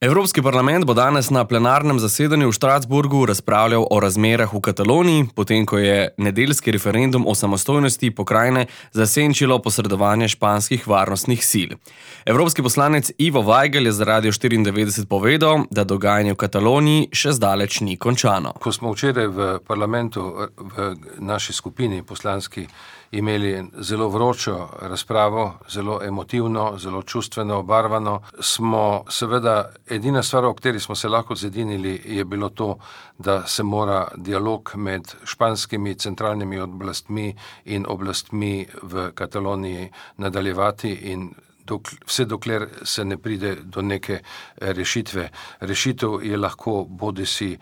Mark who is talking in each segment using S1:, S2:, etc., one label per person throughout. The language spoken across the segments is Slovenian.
S1: Evropski parlament bo danes na plenarnem zasedanju v Strasbourgu razpravljal o razmerah v Kataloniji, potem ko je nedeljski referendum o samostojnosti pokrajine zasenčilo posredovanje španskih varnostnih sil. Evropski poslanec Ivo Vajgl je za Radio 94 povedal, da dogajanje v Kataloniji še zdaleč ni končano.
S2: Ko smo včeraj v parlamentu, v naši skupini poslanski, imeli zelo vročo razpravo, zelo emotivno, zelo čustveno obarvano, smo seveda edina stvar, o kateri smo se lahko zedinili, je bilo to, da se mora dialog med španskimi centralnimi oblastmi in oblastmi v Kataloniji nadaljevati in vse dokler se ne pride do neke rešitve. Rešitev je lahko bodisi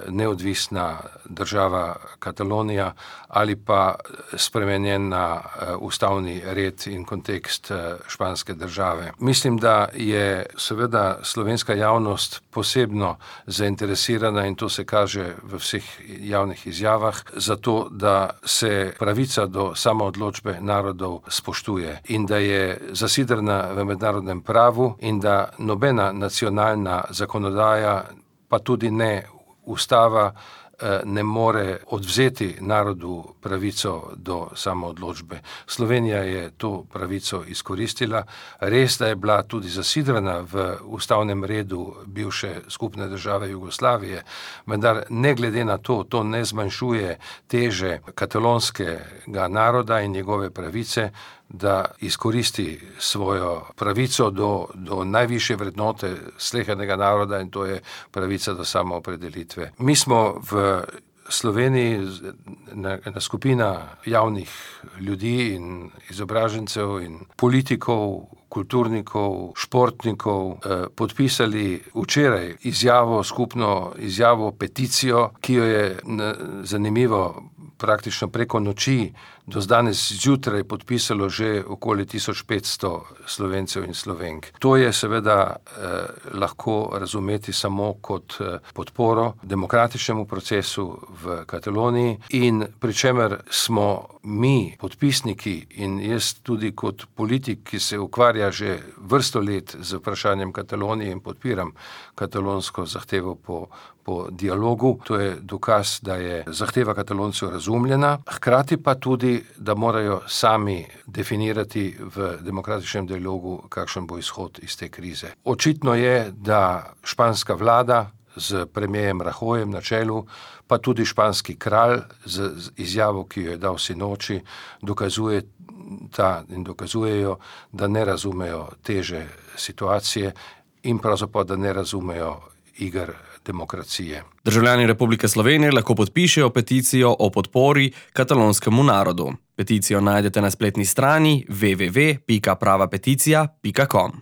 S2: neodvisna država Katalonija ali pa spremenjen na ustavni red in kontekst španske države. Mislim, da je seveda slovenska javnost posebno zainteresirana in to se kaže v vseh javnih izjavah, zato da se pravica do samoodločbe narodov spoštuje in da je zasidrena v mednarodnem pravu in da nobena nacionalna zakonodaja, pa tudi ne ustava, ne more odvzeti narodu pravico do samoodločbe. Slovenija je to pravico izkoristila. Res, da je bila tudi zasidrana v ustavnem redu bivše skupne države Jugoslavije, vendar ne glede na to, to ne zmanjšuje teže katalonskega naroda in njegove pravice, da izkoristi svojo pravico do najvišje vrednote slehernega naroda in to je pravica do samoopredelitve. Mi smo v Sloveniji ena skupina javnih ljudi in izobražencev in politikov, kulturnikov, športnikov podpisali včeraj skupno izjavo, peticijo, ki jo je zanimivo praktično preko noči do danes zjutraj podpisalo že okoli 1500 Slovencev in Slovenk. To je seveda lahko razumeti samo kot podporo demokratičnemu procesu v Kataloniji in pri čemer smo mi, podpisniki in jaz tudi kot politik, ki se ukvarja že vrsto let z vprašanjem Katalonije in podpiram katalonsko zahtevo po dialogu. To je dokaz, da je zahteva Kataloncev razumljena, hkrati pa tudi, da morajo sami definirati v demokratičnem dialogu, kakšen bo izhod iz te krize. Očitno je, da španska vlada z premierjem Rajoyem na čelu, pa tudi španski kralj z izjavo, ki jo je dal sinoči, dokazujejo, da ne razumejo teže situacije in pravzaprav, da ne razumejo iger demokracije.
S1: Državljani Republike Slovenije lahko podpišejo peticijo o podpori katalonskemu narodu. Peticijo najdete na spletni strani www.pravapeticija.com.